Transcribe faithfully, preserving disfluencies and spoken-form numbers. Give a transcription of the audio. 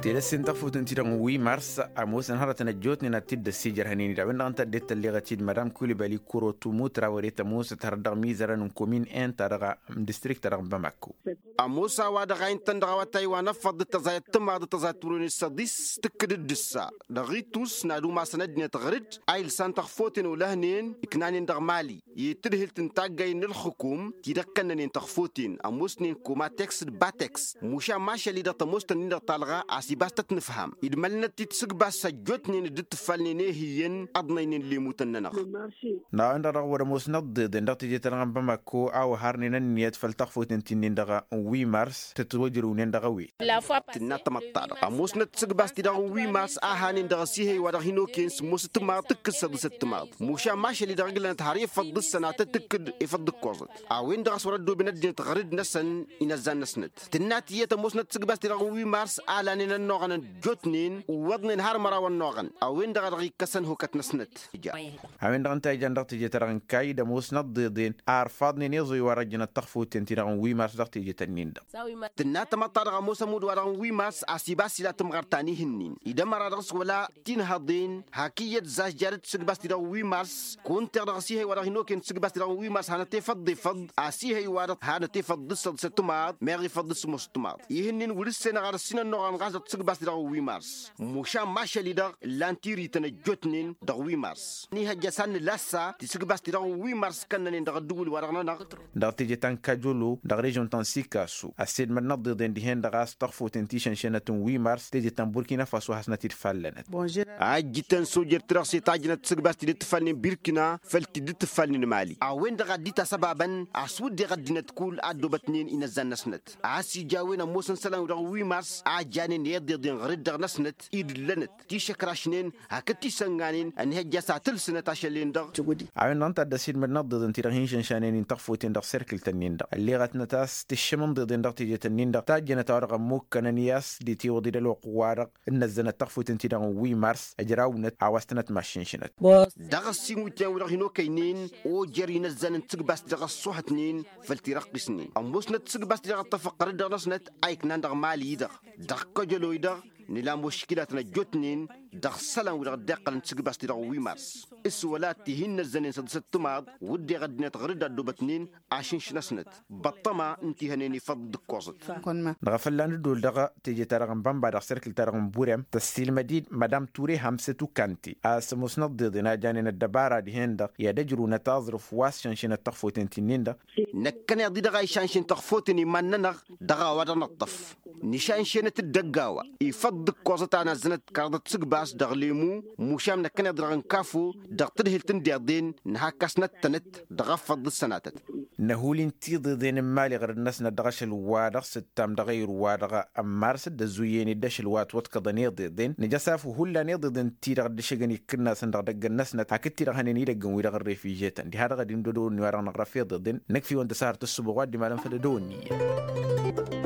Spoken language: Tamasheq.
Tedăsse n-tăɣfut n-ti-dăɣ n-wi mars. Ămoosăn hărătăn ăjjootnen ad-t-dd-ăssijărhănen-dd a-wen-dăɣ ǝnta ăddinăt tălleɣăt-dd madam kulibali korotu mutra wăre tămoosăt hărăt dăɣ-mizărăn n-komin en ta-dăɣ n-distrikt-ta-dăɣ n-bamako. Ămoos a-wa-dăɣ a intăn dăɣ-awătay wa n-ăffăḍ d-tăẓayăt timaḍ d-tăẓayăt turăwnen s-ăḍis tǝkkǝd-dd ǝssa dăɣ-itus n-ad-umasăn ăddinăt ɣăr-dd a ilsan tăɣfoten olăhnen iknanen dăɣ-mali i-tǝdhǝlt n-taggay n-ǝlxǝkum ti-dăɣ kănnănen tăɣfoten ămoosnen komateks d-bateks. Mušan mašăl-i-dăɣ tămoos-tăn-in-dăɣ talɣa a-s ibas tăt-nǝfham idmălnăt-t-dd sǝgbas ăjjootnen dd-tǝffalnen i-hi iyyăn ăḍnăynen lemutăn-nănăɣ. N-a-wen-dăɣ dăɣ-wăr-ămoosnăt ḍeḍen dăɣ-teje-ta-dăɣ n-bamako a oharnen ǝnniyăt făll-taɣfoten ti-nin-dăɣ n-wi mars tăt-wăjrǝwnen dăɣ-a-wen. Tǝnna tamăḍt-ta-dăɣ ămoosnăt sǝgbas-ti-dăɣ n-wi mars a hanen dăɣ-asihăy wa dăɣ-hin-okăyăn s-ămoos timaḍ tǝkkǝs săḍǝsăt timaḍ. Mušan mašăl-i-dăɣ ǝglănăt har efăḍ d-ǝssănatăt tǝkkǝd efăḍ d-ǝkkoẓăt a-wen-dăɣ a-s wăr-ăddooben ăddinăt ɣăr-dd-năsăn inăzzan-năsnăt. Tǝnna tiyyăt ămoosnăt sǝgbas-ti-dăɣ n-wi mars a lanen ănnuɣăn ăjjootnen iwwăḍnen har măraw ănnuɣăn a-wen-dăɣ a dăɣ-ikkăsăn hokăt-năsnăt. A-wen-dăɣ ǝnta a ijan dăɣ-teje-ta-dăɣ n-kayy d-ămoosnăt ḍeḍen a ărfaḍnen iẓuy wa dăɣ-jănăt tăɣfuten-ti-dăɣ n-wi mars dăɣ-teje-tăn-in-dăɣ. Tǝnna tamăḍt-ta-dăɣ ămoos ămudd wa dăɣ-n wi mars a-s ibas ila tǝmɣărt ta n-ihǝnnin idămăra dăɣ-s wăla tinhăḍen hak iyyăt zažja d-tisǝgbast-ti-dăɣ n-wi mars. Kunteɣ dăɣ-asihăy wa dăɣ-hin-okăyăn tisǝgbast-ti-dăɣ n-wi mars hanăt-efăḍ d-efăḍ a-s ihăy wa-dăɣ hanăt-efăḍ d-săḍ s-ăttămaḍ meɣ ifăḍ d-sămoos ăttămaḍ. Ihǝnnin wăr-ǝssenăɣ ad-ăssinănnuɣăn ɣas dăɣ-tisǝgbast-ti-dăɣ n-wi mars. Mušan mašăl-i-dăɣ ǝllan tirităn ăjjootnen dăɣ-wi mars. Nihăjja s-ad-nǝla assa tisǝgbast-ti-dăɣ n-wi mars kănnănen dăɣ-ăddǝwǝl-wa-dăɣ-nănăɣ. Dăɣ-teje ta n-kajolo dăɣ-režon ta n-sikasu ăssedmădnăt ḍeḍen dihen-dăɣ a-s tăɣfuten ti šănšenăt n-wi mars teje ta n-burkina faso hasnăt-dd fallănăt. A ǝjjǝtăn sojer-ti-dăɣ s-e-tajjănăt tisǝgbast-ti dd-tǝffalnen birkina făll-ti dd-tǝffalnen mali a-wen-dăɣ a dd-itasăbabăn a-s wǝdden ăddinăt kull a ăddoobătnen inăzzan-năsnăt. A-s ija a-wen ămoosăn isălan-wi-dăɣ n-wi mars a janen i-iḍeḍen ɣăr-dd dăɣ-năsnăt idǝllănăt tišăkrašnen hakd tisănganen ănhăjja s-ad-tǝlsǝnăt ašăl-en-dăɣ. A-wen-dăɣ ǝnta a dd-ăsidmădnăt ḍeḍen-ti-dăɣ hin-šănšanen-in tăɣfuten dăɣ-serkǝl-tăn-in-dăɣ ălleɣătnăt a-s tǝššǝmăn ḍeḍen dăɣ-teje-tăn-in-dăɣ tajjănăt a-wa dăɣ-ămmukkănăn i-a-s d-itiwǝḍ-i d-ălwăqq-wa-dăɣ ǝnnăzzănăt tăɣfuten-ti-dăɣ n-wi mars ăjrawnăt a-wa s-tănăt maššǝnšǝnăt. Dăɣ-ăssiinwǝtyan-wi-dăɣ hin-okăynen ojer inăzzan n-tisǝgbas-ti-dăɣ ăṣṣuhătnen făll-tirăqqisnen ămoosnăt tisǝgbas-ti-dăɣ ăṭṭăfăɣ ɣăr-dd dăɣ-năsnăt a iknan dăɣ-mali-i-dăɣ dăɣ-kăjălo-i-dăɣ. Nǝla muškilatăn ăjjootnen dăɣ-isălan-wi-dăɣ dd-iqqălăn tisǝgbas-ti-dăɣ n-wi mars s-wăla tihin n-ăzzănen săḍǝsăt timaḍ wǝdden ăddinăt ɣăr-dd a ăddoobătnen ašǝnšǝnăsnăt băṭṭăma n-tihănen ifăḍ d-ǝkkoẓăt. Dăɣ-afălla n-ăddol dăɣ-teje-ta-dăɣ n-bănba dăɣ-serkǝl-ta-dăɣ n-burem tăssiilmăd-dd madam ture hamsăt ukante a-s ămoosnăt ḍeḍen a janen ăddăbara dihen-dăɣ i-ad-ăjrǝwnăt aẓrǝf wa s-šănšenăt tăɣfoten ti-nin-dăɣ. Năkkăneḍ-i-dăɣ a išănšen tăɣfoten iman-nănăɣ dăɣ-a-wa-dăɣ năṭṭăf nǝšanšenăt-dd ăgg-a-wa ifăḍ d-ǝkkoẓăt a năzzănăt kăraḍăt tisǝgbas dăɣ-lemu. Mušam năkkăneḍ-i-dăɣ n-kafo dăɣ-tǝdhǝlt n-deḍen nǝhakkăsnăt-tănăt dăɣ-afăḍ d-sănatăt. Năhul-in tiḍeḍen n-imali ɣărăd-năsnăt dăɣ-ašăl-wa-dăɣ s-ǝttam dăɣ-ayǝr-wa-dăɣ ămmarăs dd-ăzzuyyen-dd ašăl wa ătwăḍkăḍăn iḍeḍen nǝja s-afu hullan iḍeḍen-ti-dăɣ dd-ǝššăgăn ikkǝnnasăn dăɣ-idăgg-năsnăt hakd-ti-dăɣ hănen idăgg n-wi-dăɣ n-refižetăn diha-dăɣ ad-indădăwăn-i-wa-dăɣ năɣrăf iḍeḍen. Năkf'-iwăn tăsahărt ǝssǝboɣ wa dd-imalăn făll-edăwănni iyyăn.